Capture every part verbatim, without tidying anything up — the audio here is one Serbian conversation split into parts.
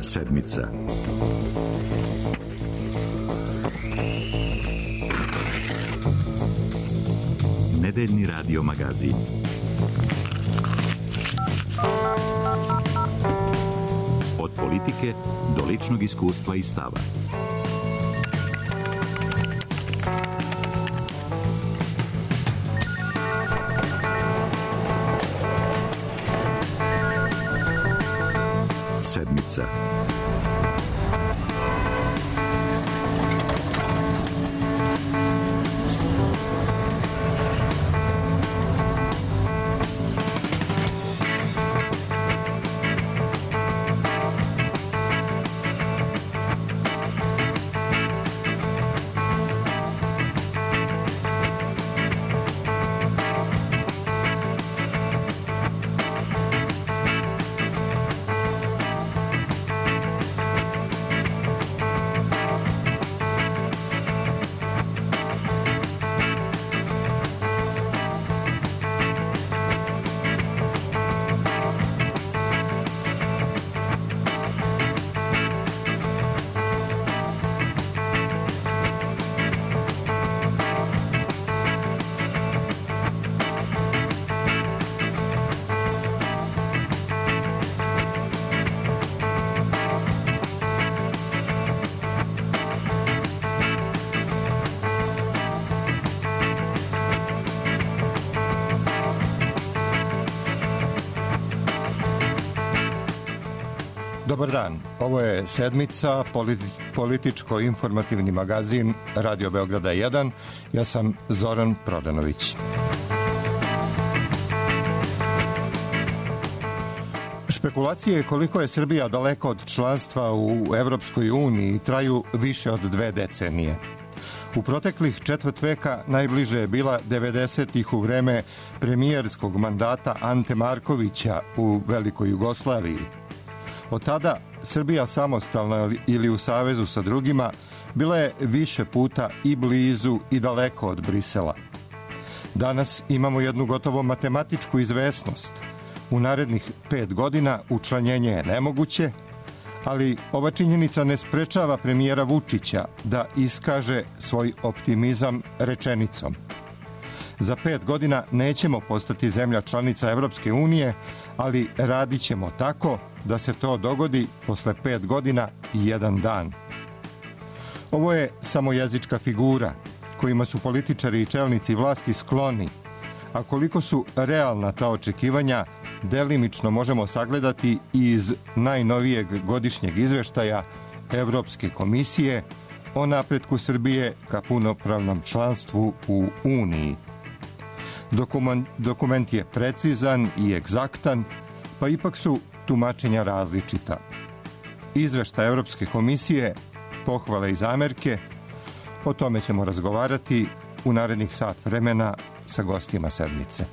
Sedmica. Nedeljni radio magazin. Od politike do ličnog iskustva i stava. Sedmica. Dobar dan, ovo je Sedmica, političko-informativni magazin Radio Beograda jedan. Ja sam Zoran Prodanović. Špekulacije koliko je Srbija daleko od članstva u Evropskoj uniji traju više od dve decenije. U proteklih četvrt veka najbliže je bila devedesetih u vreme premijerskog mandata Ante Markovića u Velikoj Jugoslaviji. Od tada Srbija samostalna ili u savezu sa drugima bila je više puta i blizu i daleko od Brisela. Danas imamo jednu gotovo matematičku izvesnost. U narednih pet godina učlanjenje je nemoguće, ali ova činjenica ne sprečava premijera Vučića da iskaže svoj optimizam rečenicom. Za pet godina nećemo postati zemlja članica Evropske unije, ali radit ćemo tako da se to dogodi posle pet godina i jedan dan. Ovo je samo jezička figura kojima su političari i čelnici vlasti skloni, a koliko su realna ta očekivanja delimično možemo sagledati iz najnovijeg godišnjeg izveštaja Evropske komisije o napretku Srbije ka punopravnom članstvu u Uniji. Dokument, dokument je precizan i egzaktan, pa ipak su tumačenja različita. Izveštaj Evropske komisije, pohvale i zamerke, o tome ćemo razgovarati u narednih sat vremena sa gostima Sedmice.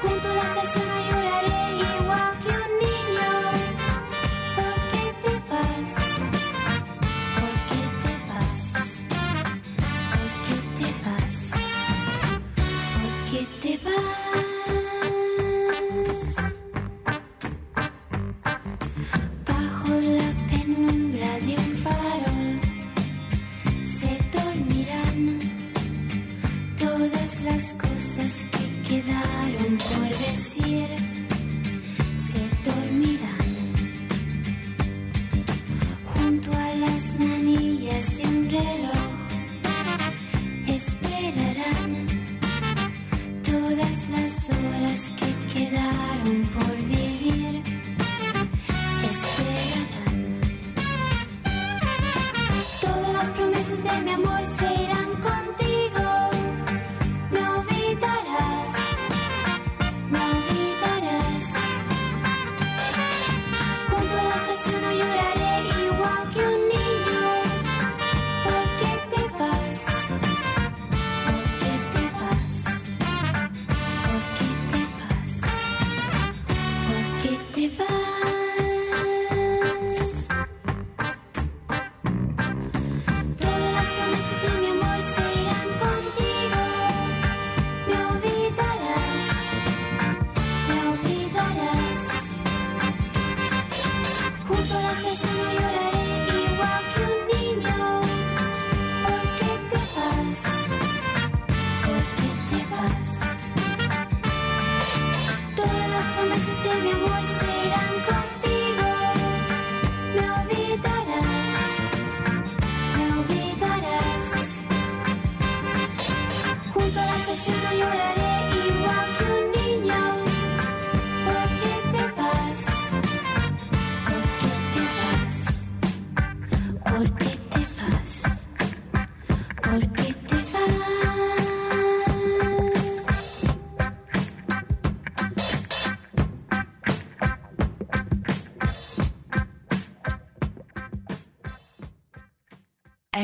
Junto a la estación lloraré igual que un niño, porque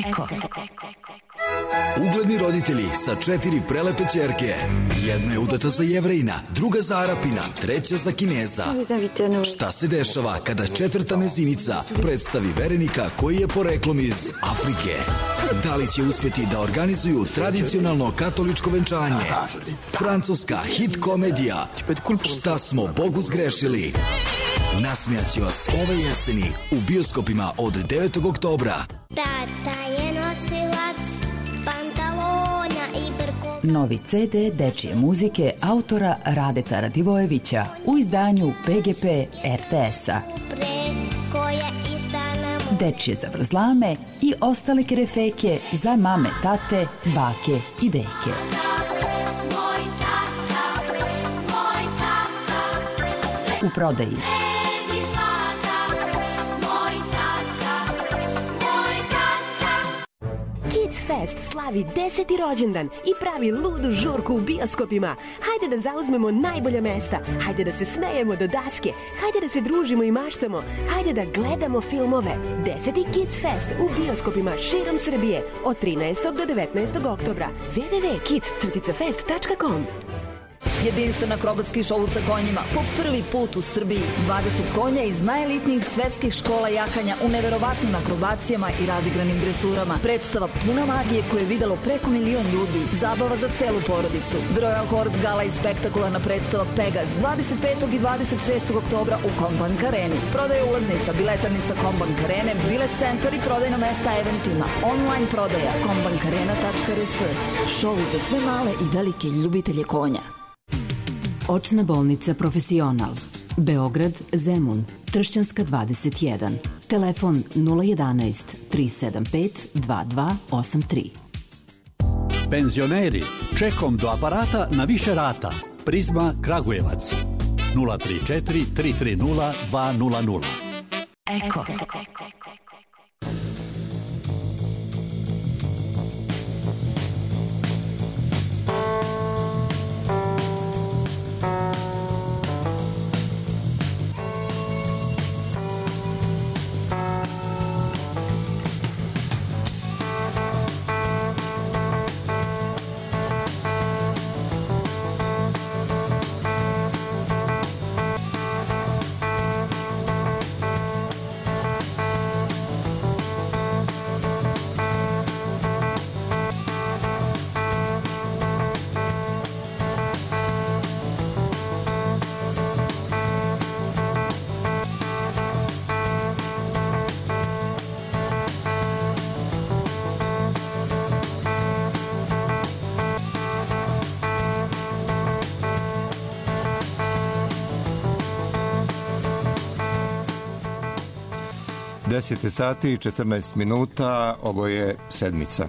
Eko. Ugledni roditelji sa četiri prelepe ćerke. Jedna je udata za Jevrejina, druga za Arapina, treća za Kineza. Šta se dešava kada četvrta mezinica predstavi verenika koji je poreklom iz Afrike? Da li će uspjeti da organizuju tradicionalno katoličko venčanje? Francuska hit komedija Šta smo Bogu zgrešili? Nasmijaće vas ove jeseni u bioskopima od devetog oktobra. Tata je nosilac pantalona i brko. Novi ce de dečije muzike autora Radeta Radivojevića u izdanju pe ge pe er te esa. Dečije zavrzlame i ostale kerefeke za mame, tate, bake i deke. U prodaji Kids Fest slavi deseti rođendan i pravi ludu žurku u bioskopima. Hajde da zauzmemo najbolja mesta, hajde da se smejemo do daske, hajde da se družimo i maštamo, hajde da gledamo filmove. Deseti Kids Fest u bioskopima širom Srbije od trinaestog do devetnaestog oktobra. w w w tačka kids fest tačka com. Jedinstven akrobatski šou sa konjima po prvi put u Srbiji. dvadeset konja iz najelitnijih svetskih škola jakanja u neverovatnim akrobacijama i razigranim dresurama. Predstava puna magije koje je videlo preko milion ljudi. Zabava za celu porodicu. The Royal Horse Gala i spektakularna predstava Pegas dvadeset petog i dvadeset šestog oktobra u Kombank Areni. Prodaja ulaznica, biletarnica Kombank Arene, bilet centar i prodajna mesta eventima. Online prodaja kombank arena tačka r s. Šou za sve male i velike ljubitelje konja. Očna bolnica Profesional. Beograd, Zemun, Tršćanska dvadeset jedan. Telefon nula jedanaest tri sedam pet dva dva osam tri. Penzioneri, čekom do aparata na više rata. Prizma Kragujevac. nula tri četiri tri tri nula dva nula nula. Eko. deset sati i četrnaest minuta, ovo je sedmica.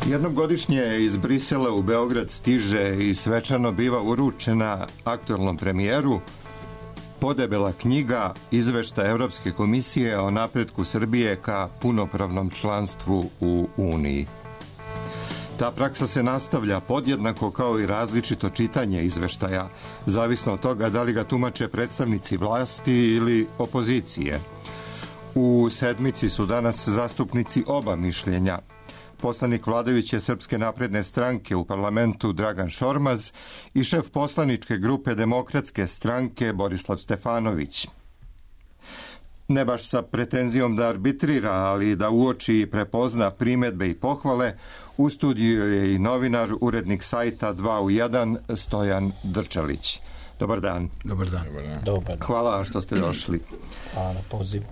Jednom godišnje iz Brisela u Beograd stiže i svečano biva uručena aktualnom premijeru podebela knjiga Izveštaj Evropske komisije o napretku Srbije ka punopravnom članstvu u Uniji. Ta praksa se nastavlja podjednako kao i različito čitanje izveštaja, zavisno od toga da li ga tumače predstavnici vlasti ili opozicije. U sedmici su danas zastupnici oba mišljenja. Poslanik vladajuće Srpske napredne stranke u parlamentu Dragan Šormaz i šef poslaničke grupe Demokratske stranke Borislav Stefanović. Ne baš sa pretenzijom da arbitrira, ali da uoči i prepozna primedbe i pohvale, u studiju je i novinar, urednik sajta dva u jedan Stojan Drčalić. Dobar dan. Dobar dan. Dobar dan. Hvala što ste došli. Hvala na pozivu.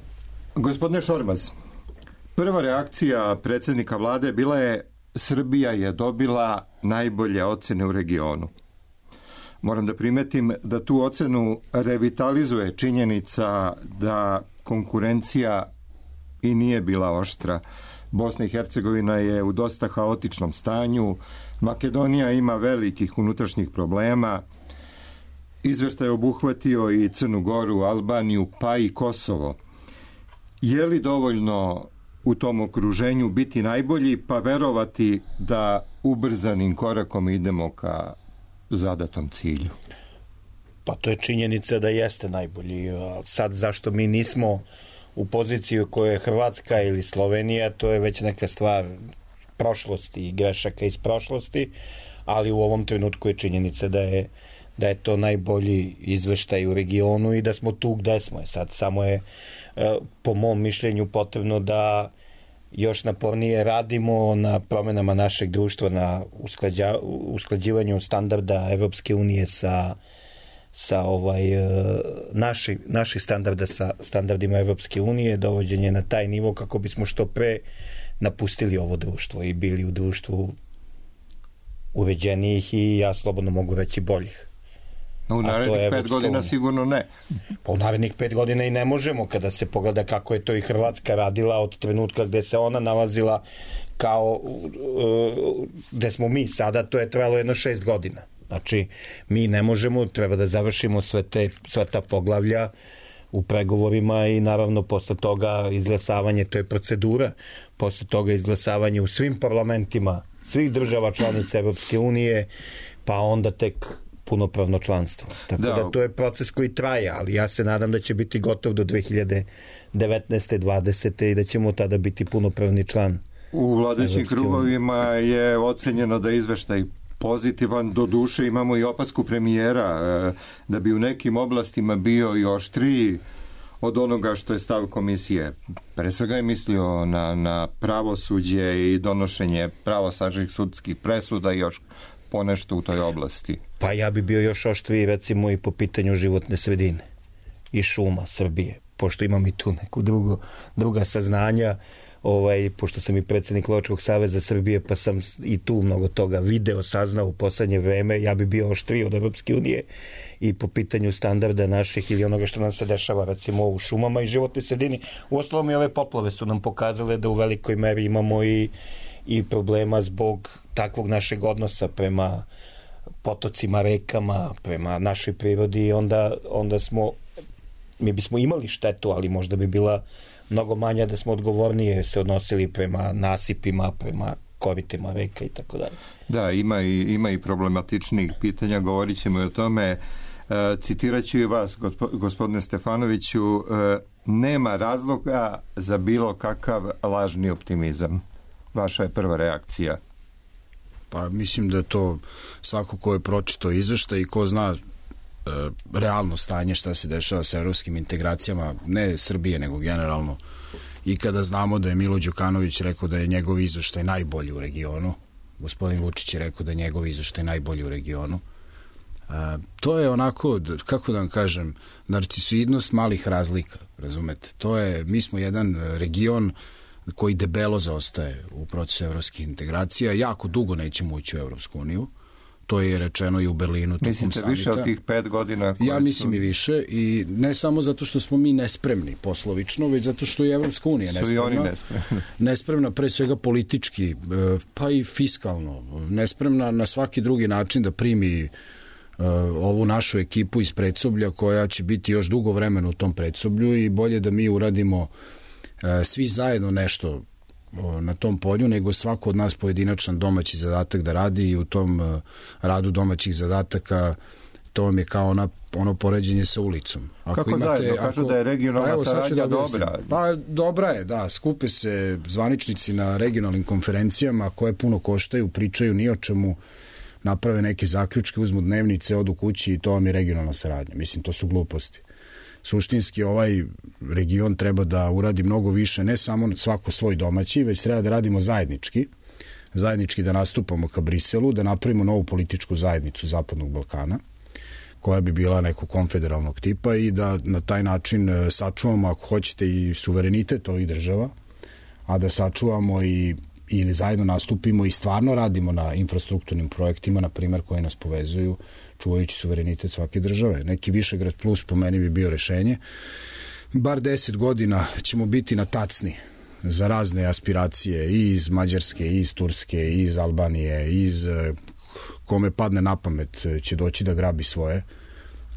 Gospodine Šormaz, prva reakcija predsjednika vlade bila je Srbija je dobila najbolje ocene u regionu. Moram da primetim da tu ocenu revitalizuje činjenica da konkurencija i nije bila oštra. Bosna i Hercegovina je u dosta haotičnom stanju, Makedonija ima velikih unutrašnjih problema, izveštaj je obuhvatio i Crnu Goru, Albaniju, pa i Kosovo. Je li dovoljno u tom okruženju biti najbolji, pa verovati da ubrzanim korakom idemo ka zadatom cilju? Pa to je činjenica da jeste najbolji. Sad zašto mi nismo u poziciji u kojoj je Hrvatska ili Slovenija, to je već neka stvar prošlosti i grešaka iz prošlosti, ali u ovom trenutku je činjenica da je, da je to najbolji izveštaj u regionu i da smo tu gde smo. Sad samo je, po mom mišljenju, potrebno da još napornije radimo na promenama našeg društva, na usklađa, usklađivanju standarda Evropske unije sa sa ovaj naši naših standarda sa standardima Evropske unije, dovođenje na taj nivo kako bismo što pre napustili ovo društvo i bili u društvu uređenijih i, ja slobodno mogu reći, boljih. No, u narednih pet godina sigurno ne. Pa u narednih pet godina i ne možemo, kada se pogleda kako je to i Hrvatska radila od trenutka gde se ona nalazila kao gde smo mi sada, to je trebalo jedno šest godina. Znači, mi ne možemo, treba da završimo sve, te, sve ta poglavlja u pregovorima i naravno posle toga izglasavanje, to je procedura, posle toga izglasavanje u svim parlamentima svih država članica Evropske unije, pa onda tek punopravno članstvo. Tako da, da to je proces koji traje, ali ja se nadam da će biti gotov do dve hiljade devetnaeste dvadesete i da ćemo tada biti punopravni član. U vladajućim krugovima je ocenjeno da izveštaj pozitivan, do duše imamo i opasku premijera da bi u nekim oblastima bio i oštriji od onoga što je stav komisije. Pre svega je mislio na, na pravosuđe i donošenje pravosnažnih sudskih presuda i još ponešto u toj oblasti. Pa ja bi bio još oštriji recimo i po pitanju životne sredine i šuma Srbije, pošto imam i tu neku drugu, druga saznanja, ovaj, pošto sam i predsjednik Lovačkog saveza Srbije, pa sam i tu mnogo toga video, saznao u poslednje vreme, ja bi bio oštriji od Evropske unije i po pitanju standarda naših ili onoga što nam se dešava recimo u šumama i životnoj sredini. Uostalom i ove poplave su nam pokazale da u velikoj meri imamo i, i problema zbog takvog našeg odnosa prema potocima, rekama, prema našoj prirodi i onda, onda smo, mi bismo imali štetu, ali možda bi bila mnogo manja da smo odgovornije se odnosili prema nasipima, prema koritima reka i tako dalje. Da, ima i, ima i problematičnih pitanja, govorit ćemo i o tome. E, citirat ću i vas, gospodine Stefanoviću, e, nema razloga za bilo kakav lažni optimizam. Vaša je prva reakcija. Pa mislim da to svako ko je pročitao izveštaj i ko zna e, realno stanje šta se dešava sa evropskim integracijama, ne Srbije nego generalno, i kada znamo da je Milo Đukanović rekao da je njegov izveštaj najbolji u regionu, gospodin Vučić je rekao da je njegov izveštaj najbolji u regionu, e, to je onako, kako da vam kažem, narcisoidnost malih razlika, razumete, to je, mi smo jedan region koji debelo zaostaje u procesu evropskih integracija. Jako dugo nećemo ući u Evropsku uniju. To je rečeno i u Berlinu. Mislite više od tih pet godina? Ja mislim su... i više. I ne samo zato što smo mi nespremni poslovično, već zato što je Evropska unija nespremna. Su i oni nespremni. Nespremna pre svega politički, pa i fiskalno. Nespremna na svaki drugi način da primi ovu našu ekipu iz predsoblja koja će biti još dugo vremena u tom predsoblju i bolje da mi uradimo svi zajedno nešto na tom polju, nego svako od nas pojedinačan domaći zadatak da radi i u tom radu domaćih zadataka to vam je kao ona, ono poređenje sa ulicom. Ako Kako imate, zajedno? Kažu ako, da je regionalna pa saradnja dobra. Pa dobra je, da. Skupe se zvaničnici na regionalnim konferencijama koje puno koštaju, pričaju ni o čemu, naprave neke zaključke, uzmu dnevnice, odu kući i to vam je regionalna saradnja. Mislim, to su gluposti. Suštinski ovaj region treba da uradi mnogo više, ne samo svako svoj domaći, već treba da radimo zajednički, zajednički da nastupamo ka Briselu, da napravimo novu političku zajednicu Zapadnog Balkana, koja bi bila nekog konfederalnog tipa i da na taj način sačuvamo, ako hoćete, i suverenitet ovih država, a da sačuvamo i ili zajedno nastupimo i stvarno radimo na infrastrukturnim projektima, na primjer, koji nas povezuju, čuvajući suverenitet svake države. Neki Višegrad plus po meni bi bio rešenje. Bar deset godina ćemo biti na tacni za razne aspiracije i iz Mađarske, i iz Turske, i iz Albanije, i iz kome padne na pamet će doći da grabi svoje,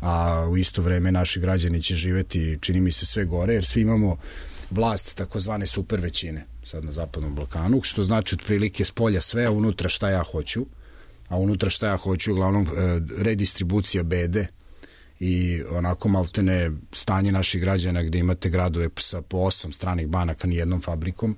a u isto vreme naši građani će živeti, čini mi se, sve gore, jer svi imamo vlast takozvane super većine sad na Zapadnom Balkanu, što znači otprilike s polja sve, a unutra šta ja hoću, a unutra šta ja hoću uglavnom redistribucija bede i onako maltene stanje naših građana gde imate gradove sa po osam stranih banaka nijednom fabrikom,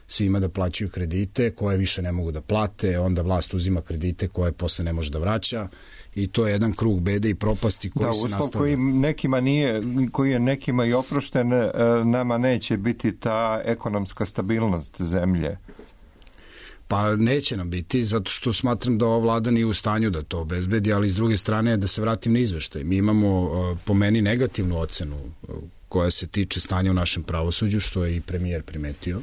svima da plaćaju kredite koje više ne mogu da plate, onda vlast uzima kredite koje posle ne može da vraća i to je jedan krug bede i propasti koji da, se nastavlja. Da, uslov koji nekima nije, koji je nekima i oprošten, nama neće biti ta ekonomska stabilnost zemlje. Pa neće nam biti, zato što smatram da ova vlada nije u stanju da to obezbedi, ali s druge strane da se vratim na izveštaj. Mi imamo po meni negativnu ocenu koja se tiče stanja u našem pravosuđu, što je i premijer primetio,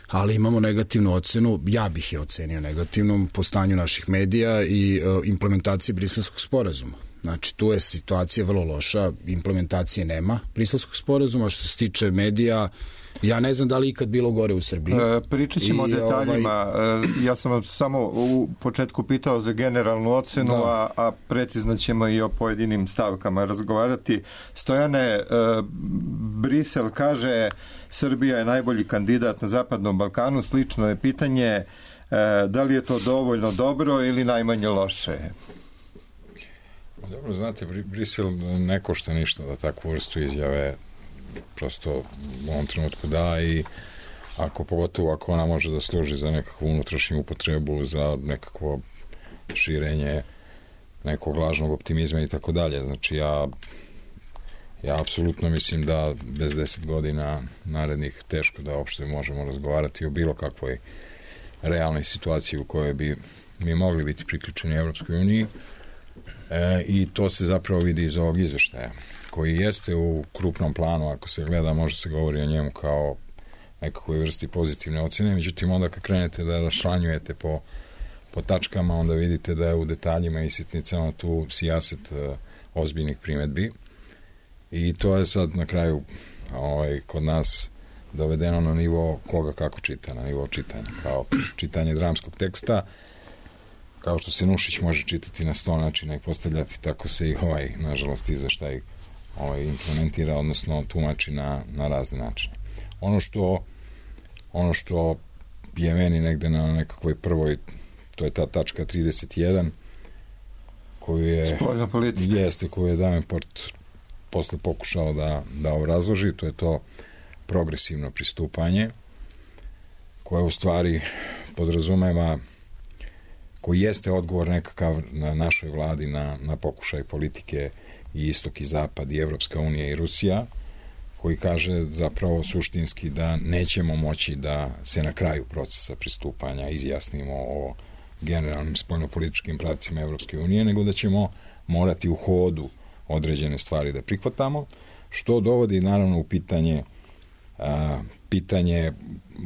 ali imamo negativnu ocenu, ja bih je ocenio negativnom, po stanju naših medija i implementacije Briselskog sporazuma. Znači, tu je situacija vrlo loša, implementacije nema Briselskog sporazuma, što se tiče medija, ja ne znam da li ikad bilo gore u Srbiji. E, pričat ćemo o detaljima. Ovaj... Ja sam vam samo u početku pitao za generalnu ocenu, da. a, a precizno ćemo i o pojedinim stavkama razgovarati. Stojane, e, Brisel kaže Srbija je najbolji kandidat na Zapadnom Balkanu. Slično je pitanje e, da li je to dovoljno dobro ili najmanje loše? Dobro, znate, Brisel ne košta ništa da takvu vrstu izjave prosto u ovom trenutku da i ako pogotovo ako ona može da služi za nekakvu unutrašnju upotrebu, za nekakvo širenje nekog lažnog optimizma i tako dalje. Znači ja ja apsolutno mislim da bez deset godina narednih teško da uopšte možemo razgovarati o bilo kakvoj realnoj situaciji u kojoj bi mi mogli biti priključeni Evropskoj uniji e, i to se zapravo vidi iz ovog izveštaja koji jeste u krupnom planu, ako se gleda, može se govori o njemu kao nekakvoj vrsti pozitivne ocene, međutim onda kad krenete da rašlanjujete po, po tačkama, onda vidite da je u detaljima i sitnicama tu sijaset uh, ozbiljnih primetbi i to je sad na kraju ovaj, kod nas dovedeno na nivo koga kako čita, na nivo čitanja, kao čitanje dramskog teksta, kao što se Nušić može čitati na sto načina i postavljati, tako se i ovaj, nažalost, izveštaj ovaj, implementira, odnosno tumači na, na razne načine. Ono što ono što je meni negde na nekakvoj prvoj, to je ta tačka trideset jedan koju je spoljna politika. Jeste, koju je Davenport posle pokušao da, da obrazloži, to je to progresivno pristupanje koje u stvari podrazumeva, koji jeste odgovor nekakav na našoj vladi na, na pokušaj politike i istok i zapad i Evropska unija i Rusija, koji kaže zapravo suštinski da nećemo moći da se na kraju procesa pristupanja izjasnimo o generalnim spoljnopolitičkim pravcima Evropske unije, nego da ćemo morati u hodu određene stvari da prihvatamo, što dovodi naravno u pitanje a, pitanje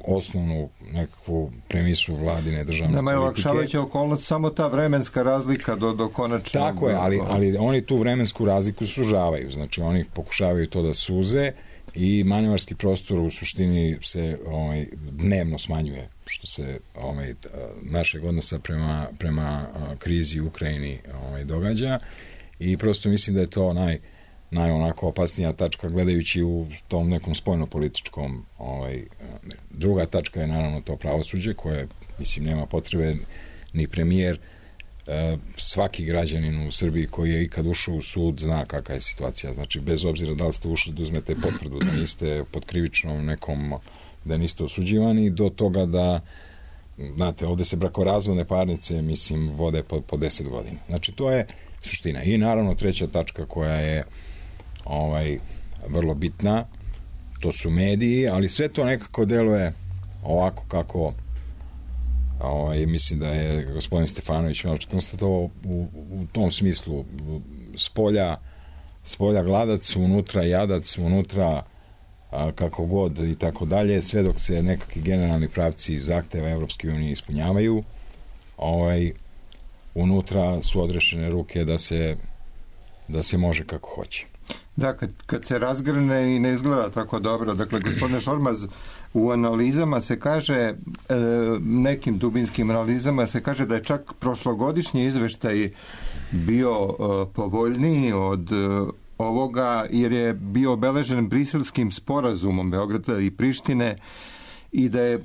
osnovnu nekakvu premisu vladine državne Nama politike. Nama je olakšavajuća okolnost samo ta vremenska razlika do, do konačnog... Tako je, ali, ali oni tu vremensku razliku sužavaju, znači oni pokušavaju to da suze i manevarski prostor u suštini se ovaj, dnevno smanjuje, što se ovaj, našeg odnosa prema, prema krizi u Ukrajini ovaj, događa i prosto mislim da je to naj naj onako opasnija tačka gledajući u tom nekom spoljnopolitičkom ovaj, druga tačka je naravno to pravosuđe koje, mislim, nema potrebe ni premijer, e, svaki građanin u Srbiji koji je ikad ušao u sud zna kakva je situacija, znači bez obzira da li ste ušli da uzmete potvrdu da niste pod krivičnom nekom, da niste osuđivani, do toga da znate, ovde se brakorazvodne parnice, mislim, vode po, po deset godina. Znači to je suština. I naravno treća tačka koja je ovaj, vrlo bitna, to su mediji, ali sve to nekako deluje ovako kako Ovaj, mislim da je gospodin Stefanović malo konstatovao u, u tom smislu spolja, spolja gladac, unutra jadac, unutra a, kako god i tako dalje, sve dok se nekakvi generalni pravci zahteva Evropske unije ispunjavaju, ovaj, unutra su odrešene ruke da se, da se može kako hoće. Da, kad, kad se razgrne i ne izgleda tako dobro. Dakle, gospodine Šormaz, u analizama se kaže, e, nekim dubinskim analizama se kaže da je čak prošlogodišnji izveštaj bio e, povoljniji od e, ovoga, jer je bio obeležen briselskim sporazumom Beograda i Prištine i da je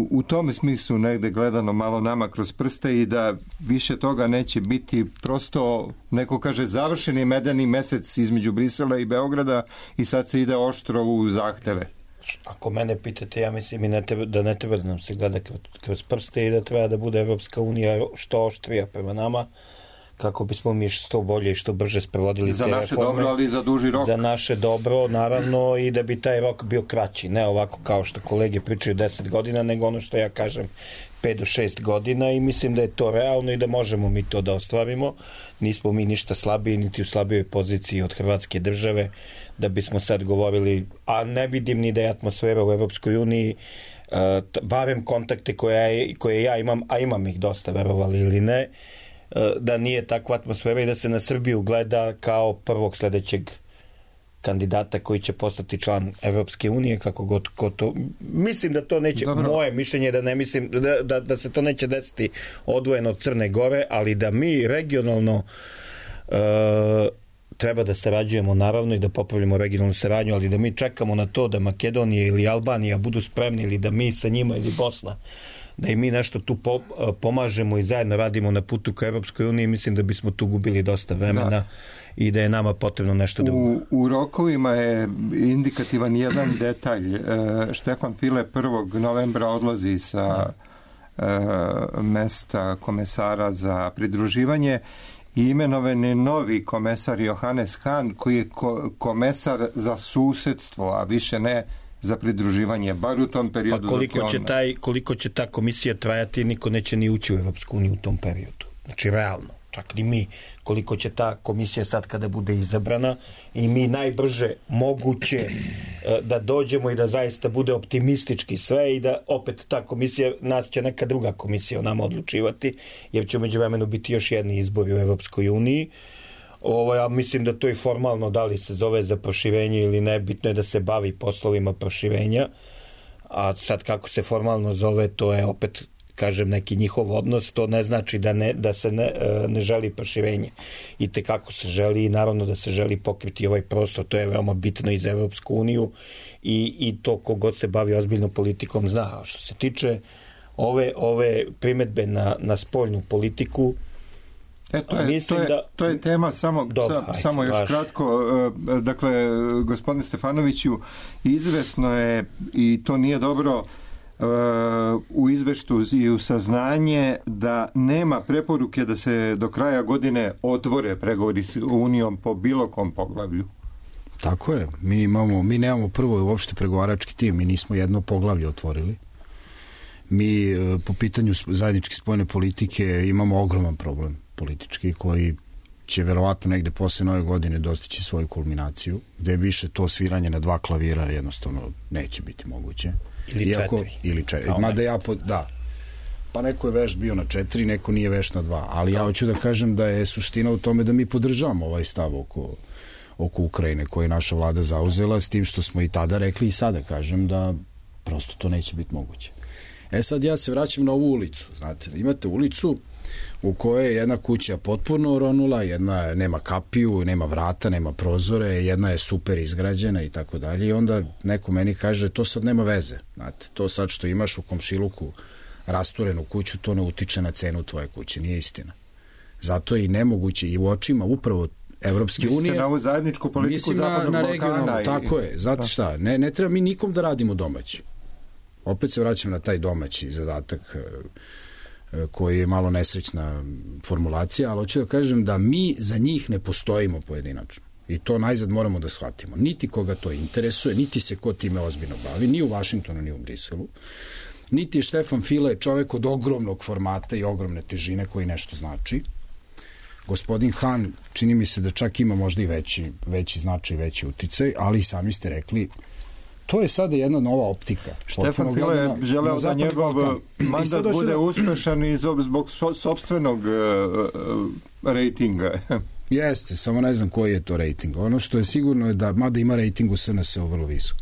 u tom smislu negde gledano malo nama kroz prste i da više toga neće biti, prosto neko kaže završeni medeni mesec između Brisela i Beograda i sad se ide oštro u zahteve. Ako mene pitate, ja mislim i ne treba, da ne treba da nam se gleda kroz prste i da treba da bude Evropska unija što oštrija prema nama, kako bismo mi što bolje i što brže sprovodili za te naše reforme. Dobro, ali za duži rok. Za naše dobro, naravno, i da bi taj rok bio kraći. Ne ovako kao što kolege pričaju deset godina, nego ono što ja kažem pet do šest godina i mislim da je to realno i da možemo mi to da ostvarimo. Nismo mi ništa slabiji, niti u slabijoj poziciji od Hrvatske države, da bismo sad govorili, a ne vidim ni da je atmosfera u Evropskoj uniji, uh, barem kontakte koje, koje ja imam, a imam ih dosta, verovali ili ne, da nije takva atmosfera i da se na Srbiju gleda kao prvog sledećeg kandidata koji će postati član Evropske unije, kako god ko to... Mislim da to neće, Dobro. moje mišljenje da ne mislim, da, da, da se to neće desiti odvojeno od Crne Gore, ali da mi regionalno uh, treba da sarađujemo naravno i da popravljamo regionalnu saradnju, ali da mi čekamo na to da Makedonija ili Albanija budu spremni ili da mi sa njima ili Bosna da i mi nešto tu po, pomažemo i zajedno radimo na putu ka Evropskoj uniji, mislim da bismo tu gubili dosta vremena da. I da je nama potrebno nešto da... U, u rokovima je indikativan jedan detalj. E, Štefan File prvog novembra odlazi sa e, mesta komesara za pridruživanje i imenovan je novi komesar Johannes Hahn, koji je ko, komesar za susedstvo, a više ne za pridruživanje, bar u tom periodu. Pa koliko će, taj, koliko će ta komisija trajati, niko neće ni ući u Evropsku uniju u tom periodu. Znači, realno, čak ni mi, koliko će ta komisija sad kada bude izabrana i mi najbrže moguće da dođemo i da zaista bude optimistički sve i da opet ta komisija, nas će neka druga komisija o nama odlučivati, jer će umeđu vremenu biti još jedni izbori u Evropskoj uniji. Ovo, ja mislim da to i formalno, da li se zove za proširenje ili ne, bitno je da se bavi poslovima proširenja, a sad kako se formalno zove, to je opet, kažem, neki njihov odnos, to ne znači da, ne, da se ne, ne želi proširenje. I te kako se želi i naravno da se želi pokriti ovaj prostor, to je veoma bitno i za Evropsku uniju i, i to kogod se bavi ozbiljnom politikom zna. A što se tiče ove, ove primetbe na, na spoljnu politiku, E, to, je, to, je, to je tema samo, Dobar, sa, samo još vaš. kratko. Dakle, gospodine Stefanoviću, izvesno je, i to nije dobro, u izveštu i u saznanje da nema preporuke da se do kraja godine otvore pregovori s Unijom po bilo kom poglavlju. Tako je. Mi, imamo, mi nemamo prvo uopšte pregovarački tim, mi nismo jedno poglavlje otvorili. Mi po pitanju zajedničke spoljne politike imamo ogroman problem politički koji će verovatno negde posle nove godine dostići svoju kulminaciju, gde više to sviranje na dva klavira jednostavno neće biti moguće. Ili Iako, četiri. Ili četiri. Mada ja, po, da. Pa neko je veš bio na četiri, neko nije veš na dva. Ali ja hoću da kažem da je suština u tome da mi podržavamo ovaj stav oko, oko Ukrajine koji je naša vlada zauzela, s tim što smo i tada rekli i sada kažem da prosto to neće biti moguće. E sad ja se vraćam na ovu ulicu. Znate, imate ulicu u kojoj je jedna kuća potpuno oronula, jedna nema kapiju, nema vrata, nema prozore, jedna je super izgrađena i tako dalje. I onda neko meni kaže, to sad nema veze. Znate, to sad što imaš u komšiluku rasturenu kuću, to ne utiče na cenu tvoje kuće. Nije istina. Zato je i nemoguće i u očima upravo Evropske unije. Mislite na ovu zajedničku politiku Zapadnog na, na Balkana. I... Tako je. Znate šta, ne, ne treba mi nikom da radimo domaći. Opet se vraćam na taj domaći zadatak koji je malo nesrećna formulacija, ali hoću da kažem da mi za njih ne postojimo pojedinačno. I to najzad moramo da shvatimo. Niti koga to interesuje, niti se ko time ozbiljno bavi, ni u Vašingtonu, ni u Briselu. niti je Štefan File čovek od ogromnog formata i ogromne težine koji nešto znači. Gospodin Han, čini mi se da čak ima možda i veći, veći značaj, veći uticaj, ali i sami ste rekli, to je sada jedna nova optika. Štefan File je želeo da njegov mandat bude da... uspešan i zbog sopstvenog uh, rejtinga. Jeste, samo ne znam koji je to rejting. Ono što je sigurno je da, mada ima rejting u S N S-u vrlo visok,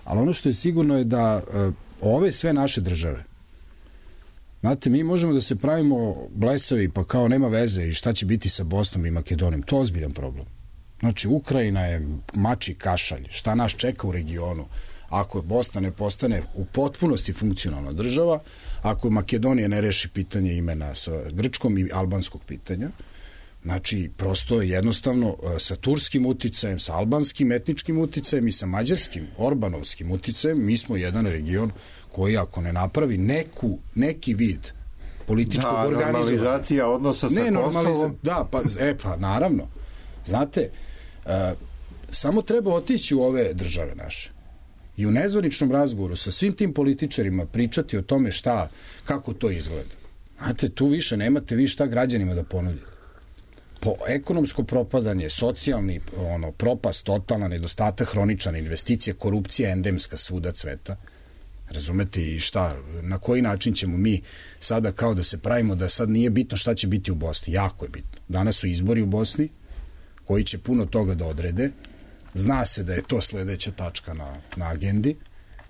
ali ono što je sigurno je da uh, ove sve naše države, znate, mi možemo da se pravimo blesavi pa kao nema veze i šta će biti sa Bosnom i Makedonijom, to je ozbiljan problem. Znači, Ukrajina je mači kašalj, šta nas čeka u regionu ako Bosna ne postane u potpunosti funkcionalna država, ako Makedonija ne reši pitanje imena sa grčkom i albanskog pitanja. Znači, prosto jednostavno sa turskim uticajem, sa albanskim etničkim uticajem i sa mađarskim, orbanovskim uticajem, mi smo jedan region koji ako ne napravi neku, neki vid političkog da, organizovanja... normalizacija odnosa sa ne, Kosovom. Da, pa, e, pa naravno. Znate, uh, samo treba otići u ove države naše i u nezvaničnom razgovoru sa svim tim političarima pričati o tome šta, kako to izgleda. Znate, tu više nemate vi šta građanima da ponudite. Po ekonomsko propadanje, socijalni ono, propast, totalna nedostatak, hroničana investicija, korupcija endemska svuda cveta. Razumete i šta, na koji način ćemo mi sada kao da se pravimo da sad nije bitno šta će biti u Bosni. Jako je bitno. Danas su izbori u Bosni koji će puno toga da odrede. Zna se da je to sledeća tačka na, na agendi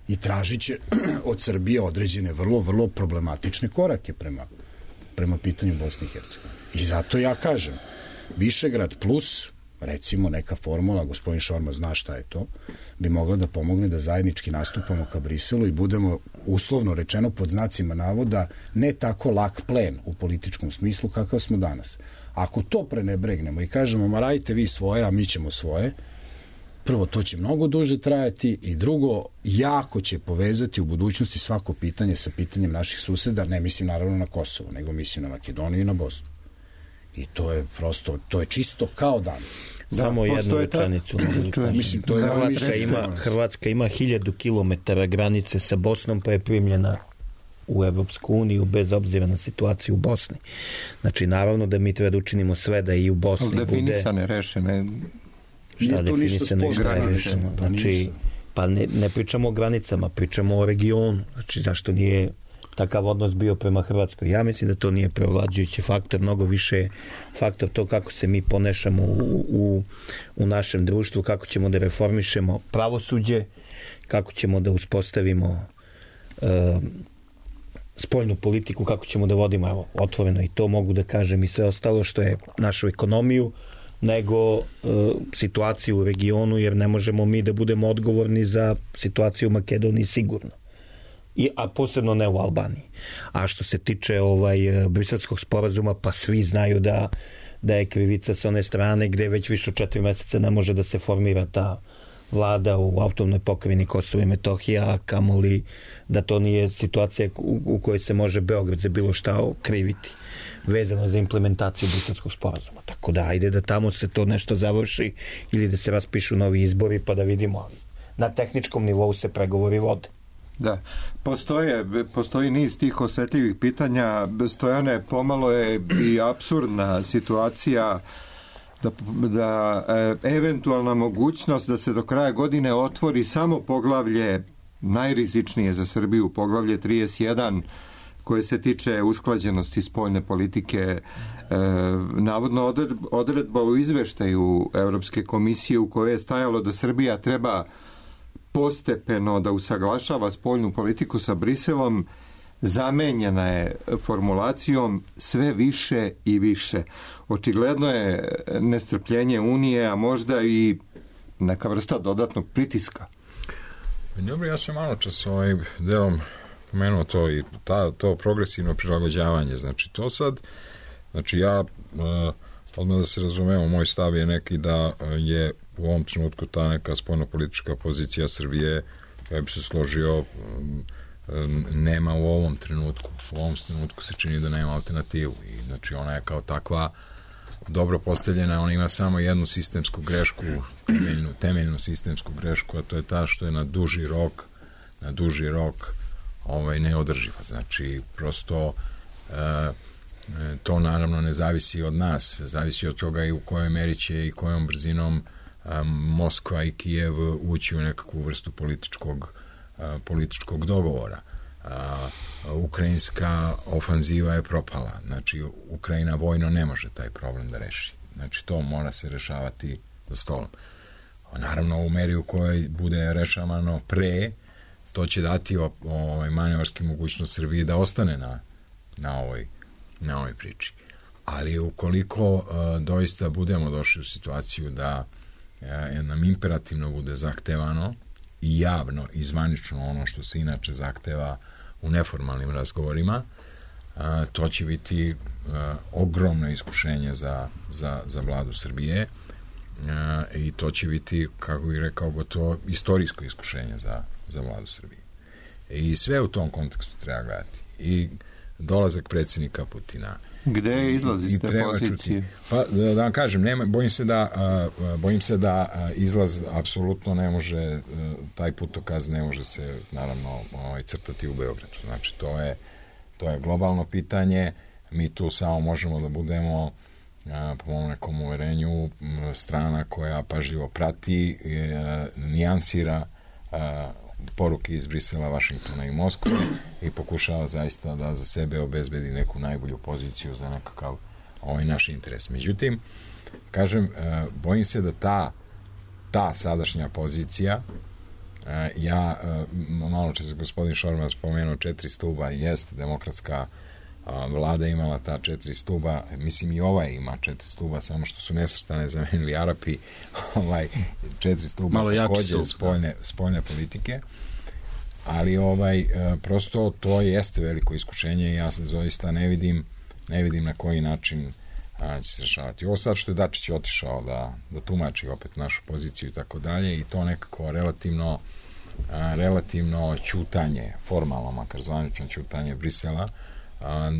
i tražit će od Srbije određene vrlo, vrlo problematične korake prema, prema pitanju Bosne i Hercegovine. I zato ja kažem, Višegrad plus, recimo neka formula, gospodin Šorma zna šta je to, bi mogla da pomogne da zajednički nastupamo ka Briselu i budemo uslovno rečeno pod znacima navoda ne tako lak plen u političkom smislu kakav smo danas. Ako to prenebregnemo i kažemo ma radite vi svoje, a mi ćemo svoje, prvo to će mnogo duže trajati i drugo jako će povezati u budućnosti svako pitanje sa pitanjem naših suseda, ne mislim naravno na Kosovo, nego mislim na Makedoniju i na Bosnu. I to je prosto, to je čisto kao dan. Samo da, jednu rečenicu. Mislim, to je Hrvatska, ima, Hrvatska ima hiljadu kilometara granice sa Bosnom, pa je primljena u Evropsku uniju bez obzira na situaciju u Bosni. Znači, naravno da mi treba da učinimo sve da i u Bosni bude... Definisane, rešene... Šta definisane, šta je rešeno? Znači, pa ne, ne pričamo o granicama, pričamo o regionu. Znači, zašto nije takav odnos bio prema Hrvatskoj? Ja mislim da to nije prevlađujući faktor, mnogo više faktor to kako se mi ponešamo u, u, u našem društvu, kako ćemo da reformišemo pravosuđe, kako ćemo da uspostavimo uh, spoljnu politiku, kako ćemo da vodimo, evo, otvoreno i to mogu da kažem i sve ostalo što je našu ekonomiju, nego uh, situaciju u regionu, jer ne možemo mi da budemo odgovorni za situaciju u Makedoniji sigurno. I, a posebno ne u Albaniji. A što se tiče ovaj briselskog sporazuma, pa svi znaju da, da je krivica sa one strane gde već više od četiri meseca ne može da se formira ta vlada u autonomnoj pokrajini Kosovo i Metohija, a kamoli da to nije situacija u, u kojoj se može Beograd za bilo šta okriviti vezano za implementaciju briselskog sporazuma. Tako da, ajde da tamo se to nešto završi ili da se raspišu novi izbori pa da vidimo. Na tehničkom nivou se pregovori vode. Da, postoje, postoji niz tih osetljivih pitanja. Stojane, pomalo je i apsurdna situacija da, da e, eventualna mogućnost da se do kraja godine otvori samo poglavlje najrizičnije za Srbiju, poglavlje trideset jedan, koje se tiče usklađenosti spoljne politike, e, navodno odredba u izveštaju Evropske komisije u kojoj je stajalo da Srbija treba postepeno da usaglašava spoljnu politiku sa Briselom, zamenjena je formulacijom sve više i više. Očigledno je nestrpljenje Unije, a možda i neka vrsta dodatnog pritiska. Dobro, ja sam malo čas ovaj delom pomenuo to i ta, to progresivno prilagođavanje. Znači, to sad, znači ja, odmah da se razumemo, moj stav je neki da je u ovom trenutku ta neka spoljnopolitička pozicija Srbije, ja bi se složio, nema u ovom trenutku. U ovom trenutku se čini da nema alternativu. I znači ona je kao takva dobro postavljena, ona ima samo jednu sistemsku grešku, temeljnu, temeljnu sistemsku grešku, a to je ta što je na duži rok, na duži rok ovaj, neodrživa. Znači, prosto e, to naravno ne zavisi od nas, zavisi od toga i u kojoj meri će i kojom brzinom a, Moskva i Kijev ući u nekakvu vrstu političkog, a, političkog dogovora. A, ukrajinska ofanziva je propala, znači Ukrajina vojno ne može taj problem da reši. Znači to mora se rešavati za stolom. A naravno u meri u kojoj bude rešavano pre, to će dati o, o, manevarski mogućnost Srbiji da ostane na, na ovoj na ovoj priči. Ali ukoliko uh, doista budemo došli u situaciju da uh, nam imperativno bude zahtevano i javno i zvanično ono što se inače zahteva u neformalnim razgovorima, uh, to će biti uh, ogromno iskušenje za, za, za vladu Srbije uh, i to će biti, kako bih rekao, gotovo istorijsko iskušenje za, za vladu Srbije. I sve u tom kontekstu treba gledati. I dolazak predsjednika Putina. Gde je izlaz iz te pozicije? Pa, da, da vam kažem, nema, bojim se da, uh, bojim se da uh, izlaz apsolutno ne može, uh, taj putokaz ne može se, naravno, ovaj, crtati u Beogradu. Znači, to je, to je globalno pitanje. Mi tu samo možemo da budemo, uh, po mom nekom uverenju, strana koja pažljivo prati, uh, nijansira uh, poruke iz Brisela, Vašingtona i Moskve i pokušava zaista da za sebe obezbedi neku najbolju poziciju za nekakav ovaj naš interes. Međutim, kažem, bojim se da ta ta sadašnja pozicija, ja, malo čas gospodin Šormaz spomenuo četiri stuba, jeste demokratska vlada imala ta četiri stuba, mislim i ova ima četiri stuba, samo što su nesvrstane zamenili Arapi, ovaj, četiri stuba takođe spoljne, spoljne politike, ali ovaj, prosto to jeste veliko iskušenje i ja se zaista ne vidim, ne vidim na koji način a, će se rešavati. Ovo sad što je Dačić otišao da, da tumači opet našu poziciju i tako dalje i to nekako relativno a, relativno ćutanje, formalno makar zvanično ćutanje Brisela, a,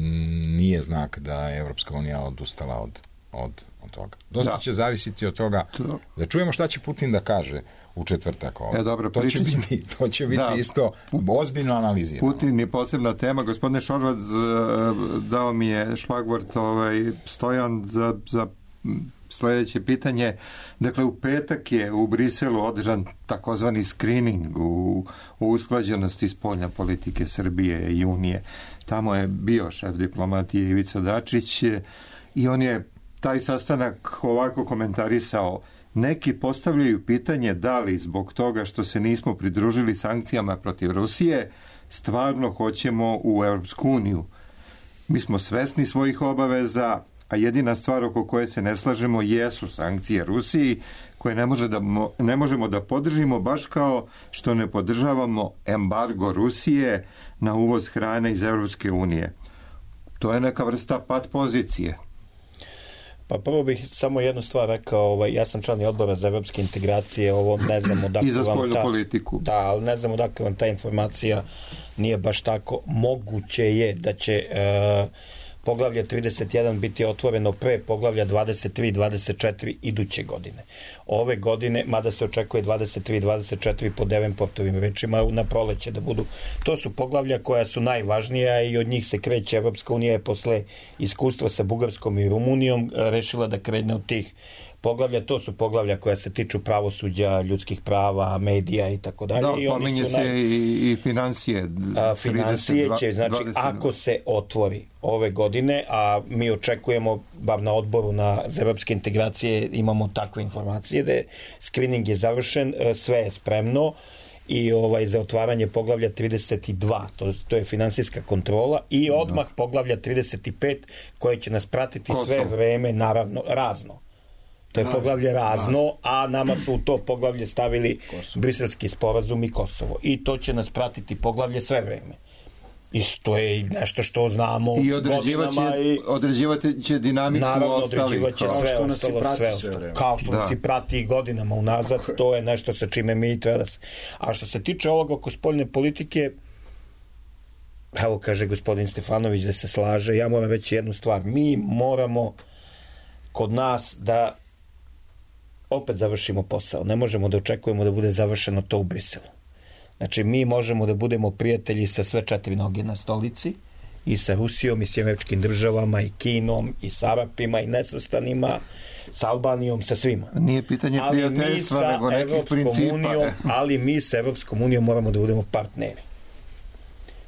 nije znak da je Evropska unija odustala od, od, od toga. Dosta da. će zavisiti od toga to. da čujemo šta će Putin da kaže u četvrtak. E, dobro, to, će biti, to će biti da. isto ozbiljno analizirano. Putin je posebna tema. Gospodine Šorvac, dao mi je šlagvort ovaj, Stojan za, za sljedeće pitanje. Dakle, u petak je u Briselu održan takozvani screening u, u usklađenosti spoljne politike Srbije i Unije. Tamo je bio šef diplomatije Ivica Dačić i on je taj sastanak ovako komentarisao: neki postavljaju pitanje da li zbog toga što se nismo pridružili sankcijama protiv Rusije stvarno hoćemo u Europsku uniju. Mi smo svesni svojih obaveza, a jedina stvar oko koje se ne slažemo jesu sankcije Rusiji, koje ne, može da, ne možemo da podržimo, baš kao što ne podržavamo embargo Rusije na uvoz hrane iz Europske unije. To je neka vrsta pat pozicije. Pa prvo bih samo jednu stvar rekao, ovaj, ja sam član odbora za evropske integracije, ovo ne znam odakle I za spoljnu ta, politiku. Da, ali ne znam odakle vam ta informacija nije baš tako. Moguće je da će uh, poglavlje trideset jedan biti otvoreno pre poglavlja dvadeset tri i dvadeset četiri iduće godine. Ove godine, mada se očekuje dvadeset tri i dvadeset četiri po Devenportovim rečima na proleće da budu. To su poglavlja koja su najvažnija i od njih se kreće. Evropska unija je posle iskustva sa Bugarskom i Rumunijom rešila da krene od tih poglavlja. To su poglavlja koja se tiču pravosuđa, ljudskih prava, medija i tako dalje. Da, pominje se naj... i, i financije. A, financije će, znači, dvadeset ako se otvori ove godine, a mi očekujemo, bar na odboru na za evropske integracije imamo takve informacije, da je screening je završen, sve je spremno i ovaj za otvaranje poglavlja trideset dva, to, to je finansijska kontrola, i odmah poglavlja trideset pet koje će nas pratiti Kosovo. Sve vreme, naravno, razno. To je poglavlje razno, a nama su u to poglavlje stavili Kosovo. Briselski sporazum i Kosovo. I to će nas pratiti poglavlje sve vreme. I to je nešto što znamo i godinama. I određivati će dinamiku naravno, ostalih. Određivat će sve ostalo, sve ostalo. Kao što da. nas i prati godinama unazad, to je nešto sa čime mi treba da se... A što se tiče ovoga oko spoljne politike, evo kaže gospodin Stefanović da se slaže, ja moram reći jednu stvar. Mi moramo kod nas da opet završimo posao. Ne možemo da očekujemo da bude završeno to u Briselu. Znači, mi možemo da budemo prijatelji sa sve četiri noge na stolici, i sa Rusijom, i s Američkim državama, i Kinom, i s Arapima, i nesvrstanima, s Albanijom, sa svima. Nije pitanje prijateljstva, nego nekih principa. Unijom, ali mi sa Evropskom unijom moramo da budemo partneri.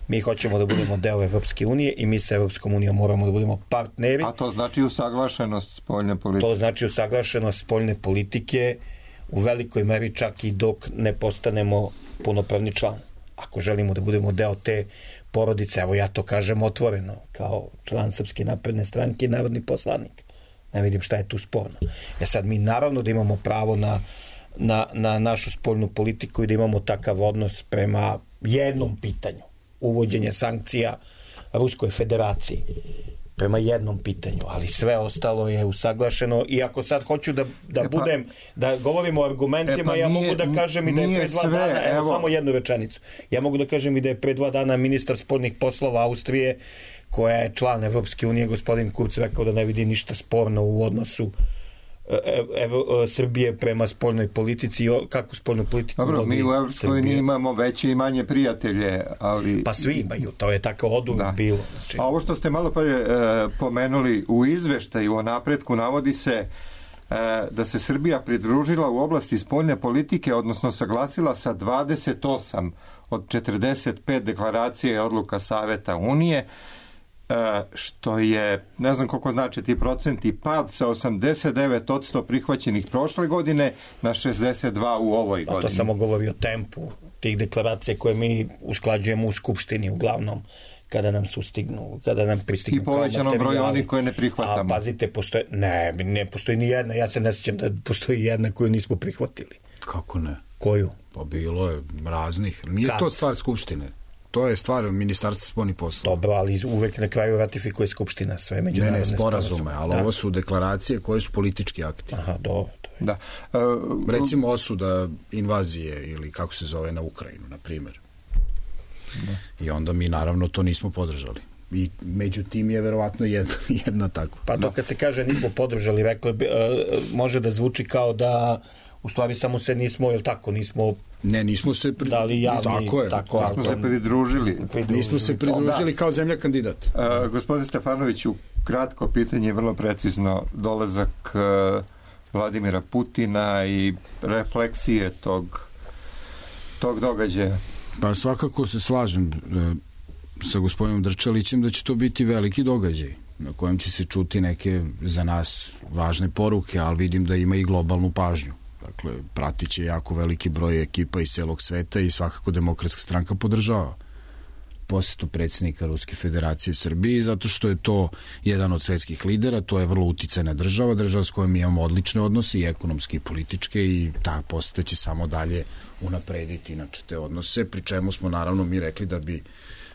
Mi hoćemo da budemo deo Evropske unije i mi sa Evropskom unijom moramo da budemo partneri. A to znači usaglašenost spoljne politike? To znači usaglašenost spoljne politike u velikoj meri čak i dok ne postanemo punopravni član. Ako želimo da budemo deo te porodice, evo ja to kažem otvoreno, kao član Srpske napredne stranke i narodni poslanik. Ne vidim šta je tu sporno. E sad, mi naravno da imamo pravo na, na, na našu spoljnu politiku i da imamo takav odnos prema jednom pitanju. Uvođenje sankcija Ruskoj federaciji prema jednom pitanju, ali sve ostalo je usaglašeno i ako sad hoću da, da e pa, budem, da govorimo o argumentima, e pa ja nije, mogu da kažem i da je pre dva sve, dana, evo, evo samo jednu rečenicu, ja mogu da kažem i da je pre dva dana ministar spoljnih poslova Austrije, koja je član Evropske unije, gospodin Kurz, rekao da ne vidi ništa sporno u odnosu Evo, Srbije prema spoljnoj politici i kako spoljnu politiku. Dobro, mi u Evropskoj uniji imamo veće i manje prijatelje, ali... Pa svi imaju, to je tako oduvijek da. bilo. Znači... A ovo što ste malo pre e, pomenuli u izveštaju o napretku, navodi se e, da se Srbija pridružila u oblasti spoljne politike, odnosno saglasila sa dvadeset osam od četrdeset pet deklaracija i odluka Saveta Unije, što je, ne znam koliko znači ti procenti, pad sa osamdeset devet posto prihvaćenih prošle godine na šezdeset dva u ovoj godini. A to samo govori o tempu tih deklaracija koje mi usklađujemo u Skupštini uglavnom kada nam sustignu, kada nam pristignu. I povećanom broju onih koje ne prihvatamo. A pazite, postoje, ne, ne postoji ni jedna, ja se ne sjećam da postoji jedna koju nismo prihvatili. Kako ne? Koju? Pa bilo je raznih. Nije Kad? to stvar Skupštine. To je stvar Ministarstva spoljnih poslova. Dobro, ali uvek na kraju ratifikuje Skupština sve međunarodne ne, ne, sporazume, ali da. ovo su deklaracije koje su politički akti. Aha, dobro. Da. Uh, Recimo osuda invazije ili kako se zove na Ukrajinu, na primjer. Da. I onda mi naravno to nismo podržali. I među tim je verovatno jedna, jedna tako. Pa to kad se kaže nismo podržali, rekla bi, uh, može da zvuči kao da u stvari samo se nismo, jel tako, nismo Ne, nismo se pri... dali javni, tako je. Tako, nismo se pridružili. pridružili. Nismo se pridružili kao zemlja kandidat. Uh, gospodin Stefanoviću, kratko pitanje, vrlo precizno, dolazak uh, Vladimira Putina i refleksije tog, tog događaja. Pa svakako se slažem uh, sa gospodinom Drčalićem da će to biti veliki događaj na kojem će se čuti neke za nas važne poruke, ali vidim da ima i globalnu pažnju. Dakle, pratit će jako veliki broj ekipa iz celog sveta i svakako Demokratska stranka podržava posjetu predsjednika Ruske federacije Srbiji, zato što je to jedan od svetskih lidera, to je vrlo uticajna država, država s kojom imamo odlične odnose i ekonomske i političke i ta posjeta će samo dalje unaprediti inače te odnose, pri čemu smo naravno mi rekli da bi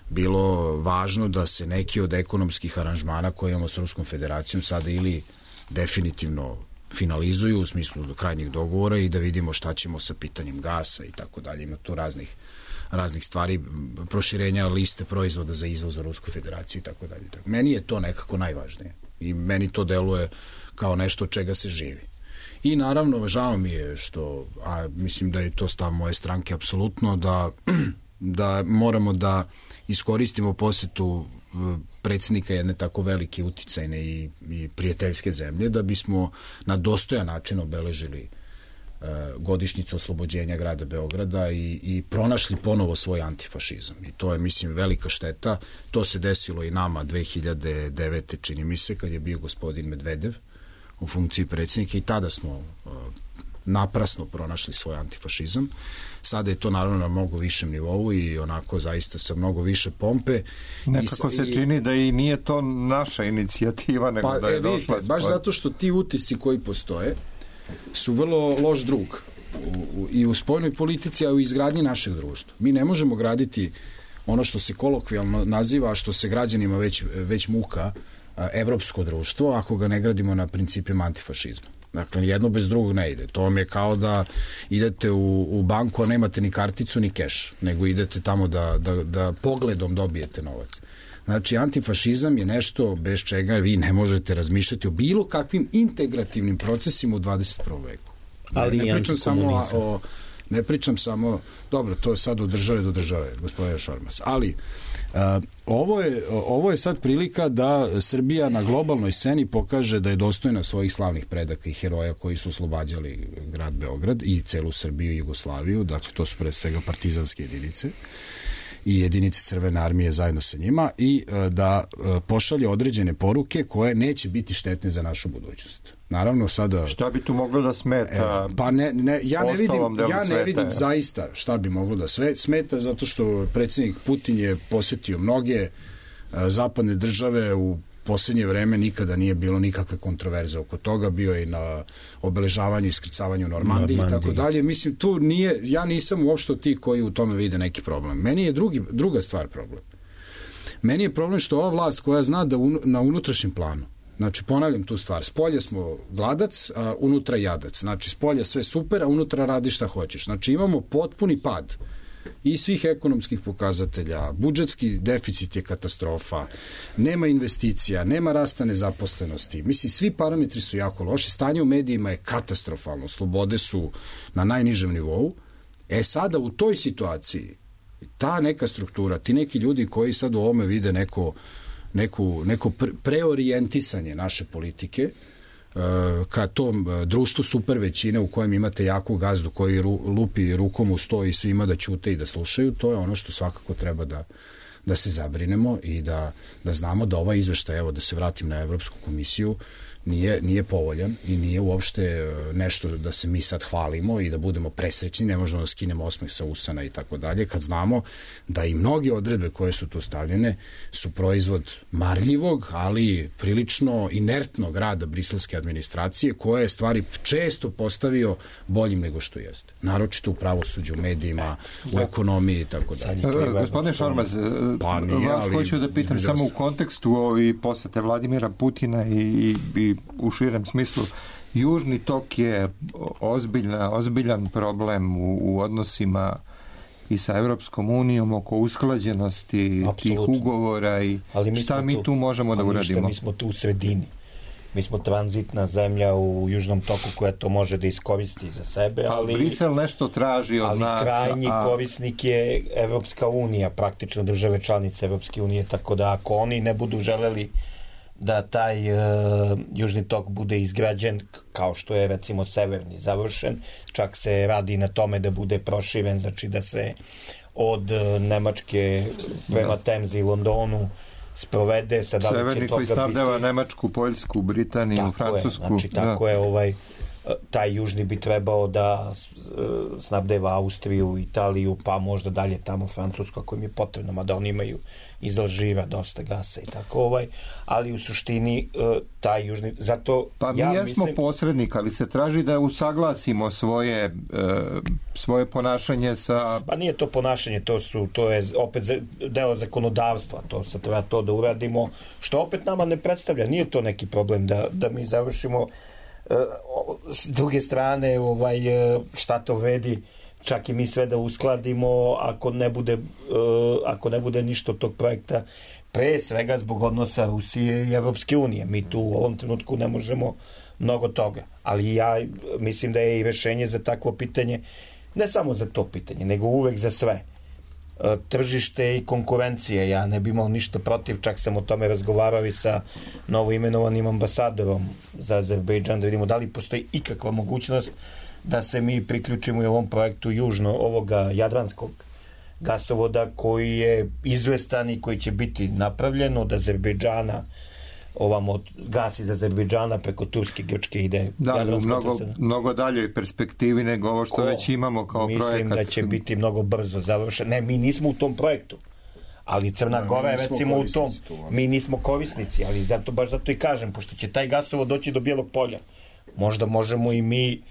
bilo važno da se neki od ekonomskih aranžmana koje imamo s Ruskom federacijom sada ili definitivno finalizuju u smislu do krajnjih dogovora i da vidimo šta ćemo sa pitanjem gasa i tako dalje. Ima tu raznih, raznih stvari, proširenja liste proizvoda za izvoz u Rusku federaciju i tako dalje. Meni je to nekako najvažnije i meni to deluje kao nešto od čega se živi. I naravno, žao mi je što, a mislim da je to stav moje stranke apsolutno, da, da moramo da iskoristimo posjetu predsjednika jedne tako velike, uticajne i, i prijateljske zemlje, da bismo na dostojan način obeležili e, godišnjicu oslobođenja grada Beograda i, i pronašli ponovo svoj antifašizam. I to je, mislim, velika šteta. To se desilo i nama dve hiljade devete. čini mi se, kad je bio gospodin Medvedev u funkciji predsjednika i tada smo e, naprasno pronašli svoj antifašizam. Sada je to naravno na mnogo višem nivou i onako zaista sa mnogo više pompe. Nekako I, se i, čini da i nije to naša inicijativa, nego pa, da je e, došla... Vidite, baš zato što ti utisci koji postoje su vrlo loš drug u, u, i u spoljnoj politici, a i u izgradnji našeg društva. Mi ne možemo graditi ono što se kolokvijalno naziva, a što se građanima već, već muka, evropsko društvo, ako ga ne gradimo na principima antifašizma. Dakle, jedno bez drugog ne ide. To vam je kao da idete u, u banku, a nemate ni karticu, ni keš, nego idete tamo da, da, da pogledom dobijete novac. Znači, antifašizam je nešto bez čega vi ne možete razmišljati o bilo kakvim integrativnim procesima u dvadeset prvom veku. Ali ne pričam samo o, Ne pričam samo, dobro, to je sad od države do države, gospodine Šormaz, ali uh, ovo, je, ovo je sad prilika da Srbija na globalnoj sceni pokaže da je dostojna svojih slavnih predaka i heroja koji su oslobađali grad Beograd i celu Srbiju i Jugoslaviju, dakle to su pre svega partizanske jedinice i jedinice Crvene armije zajedno sa njima i da pošalje određene poruke koje neće biti štetne za našu budućnost. Naravno sada... Šta bi tu moglo da smeta? E, pa ne, ne, ja ne vidim, ja ne sveta, vidim je. zaista šta bi moglo da sve smeta, zato što predsjednik Putin je posetio mnoge a, zapadne države u posljednje vreme, nikada nije bilo nikakve kontroverze oko toga, bio je i na obeležavanju i iskrcavanju Normandiji i tako dalje. Mislim, tu nije, ja nisam uopšte ti koji u tome vide neki problem. Meni je drugi, druga stvar problem. Meni je problem što ova vlast koja zna da un, na unutrašnjem planu, znači ponavljam tu stvar, spolje smo gladac, a unutra jadac. Znači spolje sve super, a unutra radi šta hoćeš. Znači imamo potpuni pad i svih ekonomskih pokazatelja, budžetski deficit je katastrofa, nema investicija, nema rasta nezaposlenosti, mislim, svi parametri su jako loši, stanje u medijima je katastrofalno, slobode su na najnižem nivou. E sada u toj situaciji ta neka struktura, ti neki ljudi koji sad u ovome vide neko, neku, neko preorijentisanje naše politike ka tom društvu super većine u kojem imate jaku gazdu koji ru, lupi rukom u sto i svima da ćute i da slušaju, to je ono što svakako treba da, da se zabrinemo i da, da znamo da ovaj izveštaj, evo da se vratim na Evropsku komisiju, nije, nije povoljan i nije uopšte nešto da se mi sad hvalimo i da budemo presrećni, ne možemo da skinemo osmeh sa usana i tako dalje, kad znamo da i mnoge odredbe koje su tu stavljene su proizvod marljivog, ali prilično inertnog rada briselske administracije, koja je stvari često postavio boljim nego što jeste. Naročito u pravosuđu, u medijima, u ekonomiji i tako dalje. Gospodine Šormaz, pa nije, vas ali, hoću da pitam samo u kontekstu ovi posete Vladimira Putina i, i u širem smislu, Južni tok je ozbiljna, ozbiljan problem u, u odnosima i sa Evropskom unijom oko usklađenosti tih ugovora i mi šta mi tu, tu možemo da uradimo? Ništa, mi smo tu u sredini. Mi smo tranzitna zemlja u Južnom toku koja to može da iskoristi za sebe, ali... Ali Brisel nešto traži od ali nas... Ali krajnji a... korisnik je Evropska unija, praktično države članice Evropske unije, tako da ako oni ne budu želeli da taj uh, Južni tok bude izgrađen kao što je recimo severni završen, čak se radi na tome da bude proširen, znači da se od uh, Nemačke prema Temzi i Londonu sprovede sa severni koji snabdeva Nemačku, Poljsku, Britaniju, tako Francusku. Je, znači tako da. je ovaj taj južni bi trebao da snabdeva Austriju, Italiju, pa možda dalje tamo Francusku ako im je potrebno, mada oni imaju iz Alžira dosta gasa i tako ovaj, ali u suštini taj južni, zato pa mi ja jesmo mislim... posrednik, ali se traži da usaglasimo svoje svoje ponašanje sa... Pa nije to ponašanje, to su to je opet deo zakonodavstva, to se treba to da uradimo, što opet nama ne predstavlja, nije to neki problem da, da mi završimo. S druge strane, ovaj, šta to vredi čak i mi sve da uskladimo ako ne bude, ako ne bude ništa od tog projekta, pre svega zbog odnosa Rusije i Evropske unije. Mi tu u ovom trenutku ne možemo mnogo toga. Ali ja mislim da je i rešenje za takvo pitanje, ne samo za to pitanje, nego uvek za sve. Tržište i konkurencije, ja ne bi imao ništa protiv, čak sam o tome razgovarao i sa novoimenovanim ambasadorom za Azerbejdžan, da vidimo da li postoji ikakva mogućnost da se mi priključimo u ovom projektu južno ovoga jadranskog gasovoda koji je izvestan i koji će biti napravljen od Azerbejdžana, ovamo gas iz Azerbejdžana preko Turske, Grčke ide. Da, u mnogo, mnogo daljoj perspektivi nego ovo što Ko? već imamo kao Mislim projekat. Mislim da će biti mnogo brzo završen. Ne, mi nismo u tom projektu. Ali Crna da, Gora je recimo u tom. Tu, mi nismo korisnici, ali zato, baš zato i kažem, pošto će taj gasovod doći do Bijelog polja. Možda možemo i mi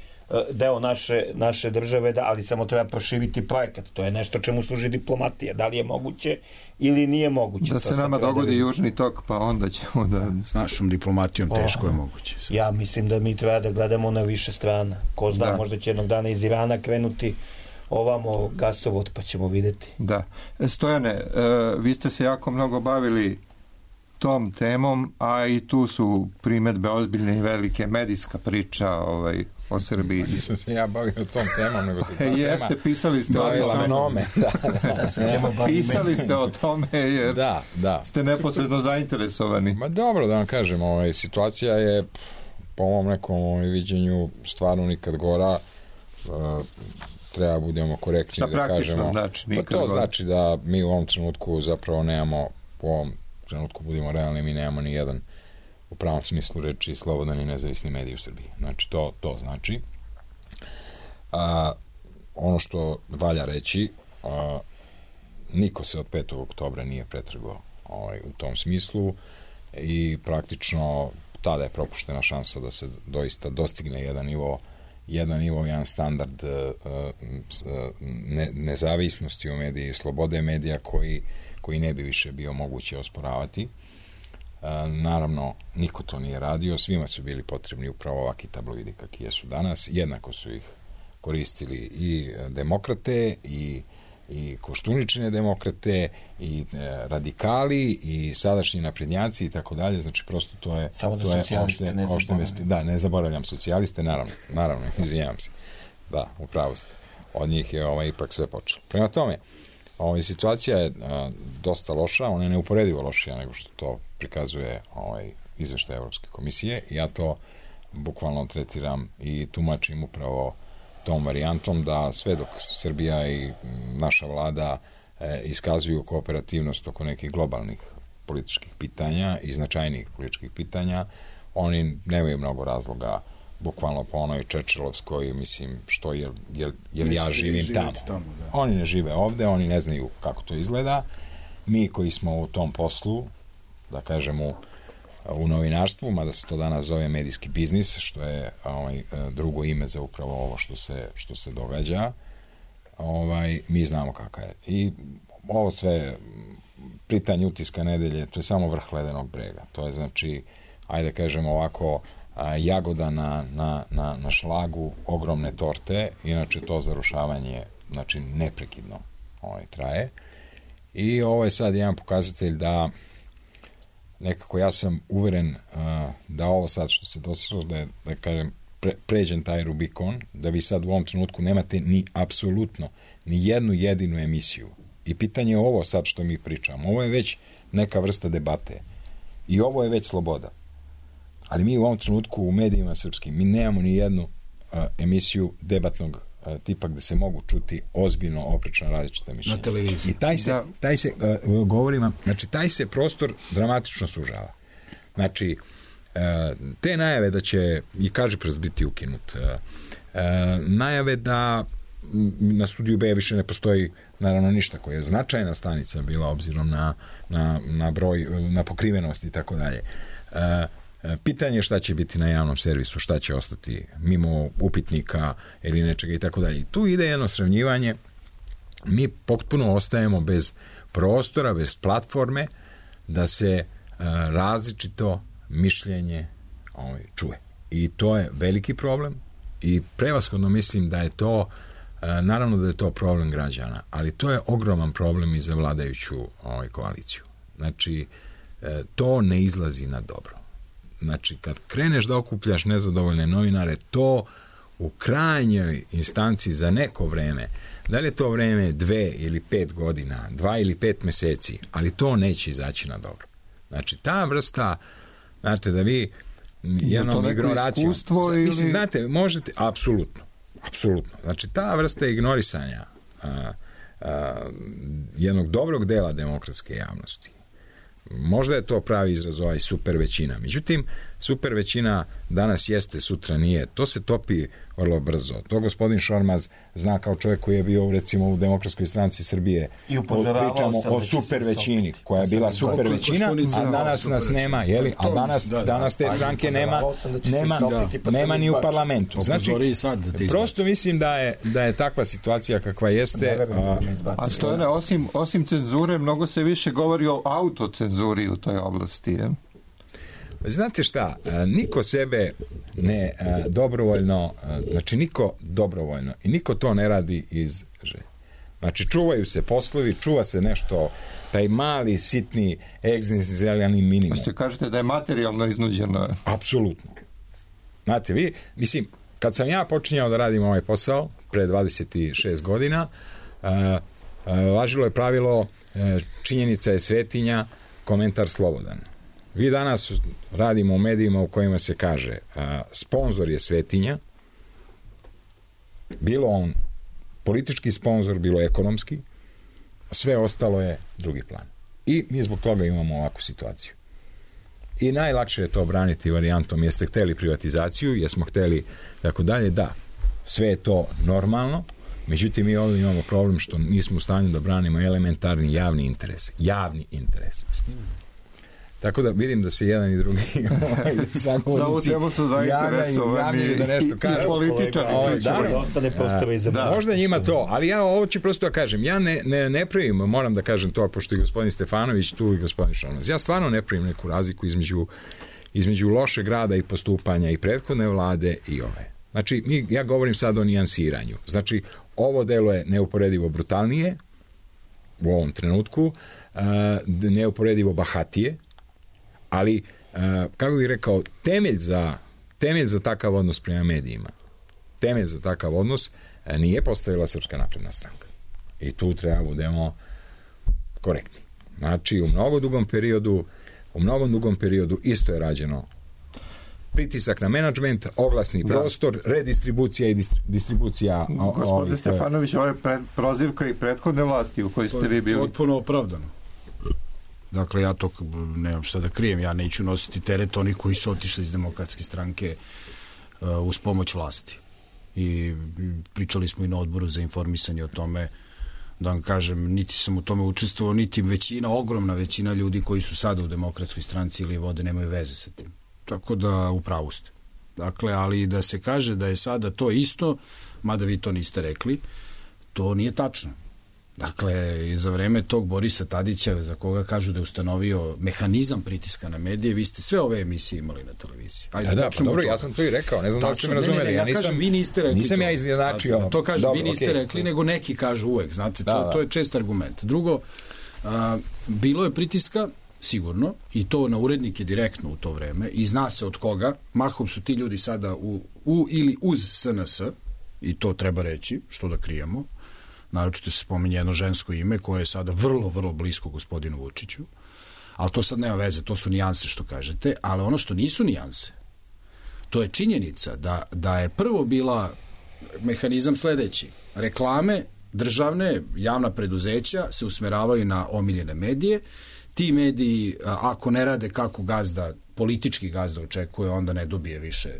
deo naše, naše države, da, ali samo treba proširiti projekat. To je nešto čemu služi diplomatija. Da li je moguće ili nije moguće. Da se nama dogodi da Južni tok, pa onda ćemo da... S našom diplomatijom teško je moguće. Ja mislim da mi treba da gledamo na više strana. Ko zna, da. Možda će jednog dana iz Irana krenuti ovamo gasovod, pa ćemo videti. Da. Stojane, vi ste se jako mnogo bavili tom temom, a i tu su primetbe ozbiljne i velike, medijska priča ovaj, o Srbiji. Nisam se ja bavio tom temom, nego se ta tema... Jeste, pisali ste o tome. Da, da. Pisali ste o tome jer da, da. ste neposredno zainteresovani. Ma dobro, da vam kažem, ovaj, situacija je po mom nekom ovaj, viđenju stvarno nikad gora. Uh, treba budemo korektni šta da kažemo. Znači, pa to gora. Znači da mi u ovom trenutku zapravo nemamo, u ovom trenutku budemo realni, mi nemamo ni jedan u pravom smislu reči slobodan i nezavisni medij u Srbiji. Znači to, to znači. A, ono što valja reći, a, niko se od petog oktobra nije pretrgao ovaj, u tom smislu i praktično tada je propuštena šansa da se doista dostigne jedan nivo jedan nivo, jedan standard ne, nezavisnosti u mediji, slobode medija koji, koji ne bi više bio moguće osporavati. Naravno, niko to nije radio, svima su bili potrebni upravo ovakvi tabloidi kakvi jesu danas, jednako su ih koristili i demokrate i i koštuničine demokrate i e, radikali i sadašnji naprednjaci i tako dalje, znači prosto to je samo da to je socijaliste opšte, ne opšte da, ne zaboravljam socijaliste, naravno, naravno, izvinjavam se. Da, upravo ste. Od njih je ovaj, ipak sve počelo. Prema tome, ovaj, situacija je a, dosta loša, ona je neuporedivo lošija nego što to prikazuje ovaj, izveštaj Evropske komisije i ja to bukvalno tretiram i tumačim upravo tom varijantom da sve dok Srbija i naša vlada e, iskazuju kooperativnost oko nekih globalnih političkih pitanja i značajnijih političkih pitanja, oni nemaju mnogo razloga bukvalno po onoj Čečelovskoj, mislim, što je, jer, jer ja živim tamo. tamo oni ne žive ovde, oni ne znaju kako to izgleda. Mi koji smo u tom poslu, da kažemo, u novinarstvu, mada se to danas zove medijski biznis, što je ovaj, drugo ime za upravo ovo što se, što se događa, ovaj, mi znamo kakav je. I ovo sve pitanje utiska nedelje, to je samo vrh ledenog brega. To je znači, ajde kažemo ovako, a, jagoda na, na, na, na šlagu ogromne torte, inače to zarušavanje znači neprekidno ovaj, traje. I ovo je sad jedan pokazatelj da nekako ja sam uveren uh, da ovo sad što se dosilo, da je, da kažem, pre, pređen taj Rubikon, da vi sad u ovom trenutku nemate ni apsolutno ni jednu jedinu emisiju. I pitanje je ovo sad što mi pričamo. Ovo je već neka vrsta debate. I ovo je već sloboda. Ali mi u ovom trenutku u medijima srpskim, mi nemamo ni jednu uh, emisiju debatnog uh, tipa gde se mogu čuti ozbiljno oprečna različita mišljenja. Na televiziji. I taj se, da. taj se uh, govorim vam, znači taj se prostor dramatično sužava. Znači, uh, te najave da će i Kažiprst biti ukinut, uh, uh, najave da na Studiju B više ne postoji naravno ništa koja je značajna stanica bila obzirom na, na, na broj, na pokrivenost i tako dalje. Pitanje šta će biti na javnom servisu, šta će ostati mimo upitnika ili nečega i tako dalje. Tu ide jedno sravnjivanje, mi potpuno ostajemo bez prostora, bez platforme da se različito mišljenje ovaj, čuje. I to je veliki problem i prevashodno mislim da je to naravno da je to problem građana, ali to je ogroman problem i za vladajuću ovaj, koaliciju. Znači, to ne izlazi na dobro. Znači, kad kreneš da okupljaš nezadovoljne novinare, to u krajnjoj instanci za neko vreme, da li je to vreme dve ili pet godina, dva ili pet meseci, ali to neće izaći na dobro. Znači, ta vrsta, znate, da vi jednom ignoracijom... Ili... Mislim, znate, možete, apsolutno, apsolutno. Znači, ta vrsta ignorisanja a, a, jednog dobrog dela demokratske javnosti, možda je to pravi izraz ovaj super većina. Međutim, super većina danas jeste, sutra nije. To se topi vrlo brzo. To gospodin Šormaz zna kao čovjek koji je bio recimo u Demokratskoj stranci Srbije. I pričamo o super većini koja je bila super većina, a danas nas nema, jeli? A danas, danas te stranke nema nema, nema ni u parlamentu. Znači, prosto mislim da je, da je takva situacija kakva jeste. A, a Stojane, osim, osim cenzure, mnogo se više govori o autocenzuri u toj oblasti, je? Znate šta, niko sebe ne dobrovoljno, znači niko dobrovoljno i niko to ne radi iz želje. Znači, čuvaju se poslovi, čuva se nešto, taj mali, sitni, egzistencijalni minimum. Što kažete da je materijalno iznuđeno? Apsolutno. Znate, vi, mislim, kad sam ja počinjao da radim ovaj posao, pre dvadeset šest godina, uh, uh, važilo je pravilo uh, činjenica je svetinja, komentar slobodan. Vi danas radimo u medijima u kojima se kaže uh, sponzor je svetinja, bilo on politički sponzor, bilo ekonomski, sve ostalo je drugi plan. I mi zbog toga imamo ovakvu situaciju. I najlakše je to braniti varijantom jeste hteli privatizaciju, jesmo hteli tako dalje, da, sve je to normalno, međutim mi ovdje imamo problem što nismo u stanju da branimo elementarni javni interes. Javni interes. Tako da vidim da se jedan i drugi sagovornici javljaju da nešto kažu. Političari. Da, možda njima to, ali ja ovo ću prosto da kažem. Ja ne, ne, ne pravim, moram da kažem to, pošto i gospodin Stefanović tu i gospodin Šormaz. Ja stvarno ne pravim neku razliku između, između lošeg rada i postupanja i prethodne vlade i ove. Znači, mi, ja govorim sad o nijansiranju. Znači, ovo delo je neuporedivo brutalnije u ovom trenutku, uh, neuporedivo bahatije, ali, uh, kako bih rekao, temelj za, temelj za takav odnos prema medijima, temelj za takav odnos uh, nije postavila Srpska napredna stranka. I tu treba budemo korektni. Znači, u mnogo dugom periodu, u mnogo dugom periodu isto je rađeno pritisak na menadžment, oglasni prostor, da. Redistribucija i distri, distribucija. Gospodin Stefanović, ovo je pred, prozivka i prethodne vlasti u kojoj ste vi bili. Potpuno opravdano. Dakle, ja to nemam šta da krijem, ja neću nositi teret onih koji su otišli iz Demokratske stranke uh, uz pomoć vlasti. I pričali smo i na odboru za informisanje o tome, da vam kažem, niti sam u tome učestvovao, niti većina, ogromna većina ljudi koji su sada u Demokratskoj stranci ili vode nemaju veze sa tim. Tako da upravo ste. Dakle, ali da se kaže da je sada to isto, mada vi to niste rekli, to nije tačno. Dakle, za vreme tog Borisa Tadića, za koga kažu da je ustanovio mehanizam pritiska na medije, vi ste sve ove emisije imali na televiziji. Ajde, ja, da, pa dobro, ja sam to i rekao, ne znam da ste me razumeli. Ne, ne, ja, ja nisam, kažem, vi niste rekli nisam to. ja iznenačio. Da, to kažem, dobro, vi niste okay. rekli, nego neki kažu uvek, znate, da, to, da. to je čest argument. Drugo, a, bilo je pritiska, sigurno, i to na urednike direktno u to vreme, i zna se od koga, mahom su ti ljudi sada u, u ili uz S N S, i to treba reći, što da krijemo, naročito se spominje jedno žensko ime koje je sada vrlo, vrlo blisko gospodinu Vučiću, ali to sad nema veze, to su nijanse što kažete, ali ono što nisu nijanse, to je činjenica da, da je prvo bila mehanizam sledeći, reklame, državne, javna preduzeća se usmeravaju na omiljene medije, ti mediji, ako ne rade kako gazda, politički gazda očekuje, onda ne dobije više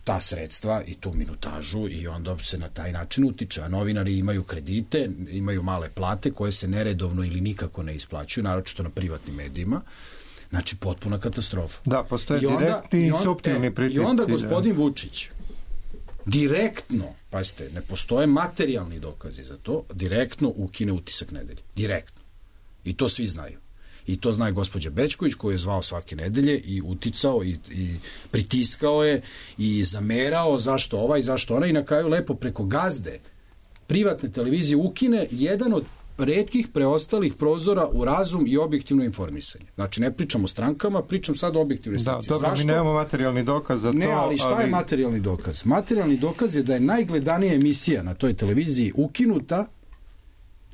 ta sredstva i tu minutažu i onda se na taj način utiče. A novinari imaju kredite, imaju male plate koje se neredovno ili nikako ne isplaćuju, naročito na privatnim medijima. Znači, potpuna katastrofa. Da, postoje I onda, direktni i, on, i suptilni e, pritisci. I onda gospodin da. Vučić direktno, pazite, ne postoje materijalni dokazi za to, direktno ukine Utisak nedelje. Direktno. I to svi znaju. I to zna i gospođa Bećković, koju je zvao svake nedelje i uticao i, i pritiskao je i zamerao zašto ovaj, zašto ona, i na kraju lepo preko gazde privatne televizije ukine jedan od retkih preostalih prozora u razum i objektivno informisanje. Znači, ne pričam o strankama, pričam sad o objektivnoj stranici. Da, dobro, zašto? Mi nemamo materijalni dokaz za to. Ne, ali šta ali... je materijalni dokaz? Materijalni dokaz je da je najgledanija emisija na toj televiziji ukinuta.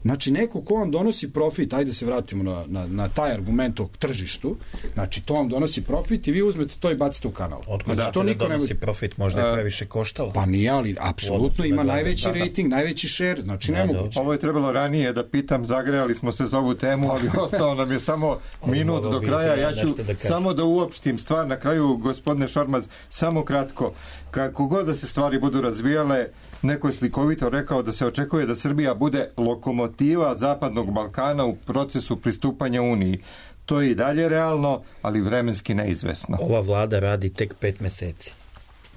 Znači, neko ko vam donosi profit, ajde se vratimo na, na, na taj argument o tržištu, znači, to vam donosi profit i vi uzmete to i bacite u kanal. Otkud znači, da, to niko donosi ne... profit, možda je previše koštalo? Pa nije, ali apsolutno ima najveći da, rating, da. najveći share, znači, da, nemoguće. Ovo je trebalo ranije da pitam, zagrejali smo se za ovu temu, ali ostao nam je samo minut do kraja. Ja ću da samo da uopštim stvar na kraju, gospodine Šormaz, samo kratko. Kako god da se stvari budu razvijale, neko je slikovito rekao da se očekuje da Srbija bude lokomotiva Zapadnog Balkana u procesu pristupanja Uniji. To je i dalje realno, ali vremenski neizvesno. Ova vlada radi tek pet meseci.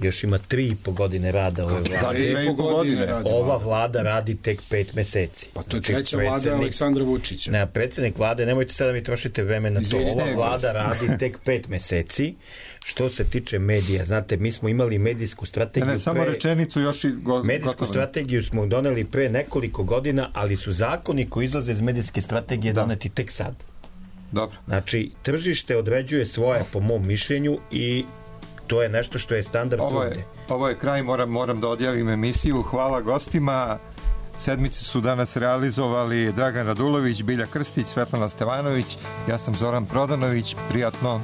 još ima tri i po godine rada ove vlade. Da, dve i po godine radi. Ova vlada radi tek pet meseci. Pa to je treća vlada Aleksandra Vučića. Ne, predsjednik vlade, nemojte sada mi trošite vreme na to. Ova vlada radi tek pet meseci. Što se tiče medija, znate, mi smo imali medijsku strategiju. Ne, ne samo pre... rečenicu još i go... Medijsku gotovo. Strategiju smo doneli pre nekoliko godina, ali su zakoni koji izlaze iz medijske strategije da. doneti tek sad. Dobro. Znači, tržište određuje svoje, po mom mišljenju, i to je nešto što je standard ovo je, svugde. Ovo je kraj, moram, moram da odjavim emisiju. Hvala gostima. Sedmici su danas realizovali Dragan Radulović, Bilja Krstić, Svetlana Stevanović, ja sam Zoran Prodanović. Prijatno.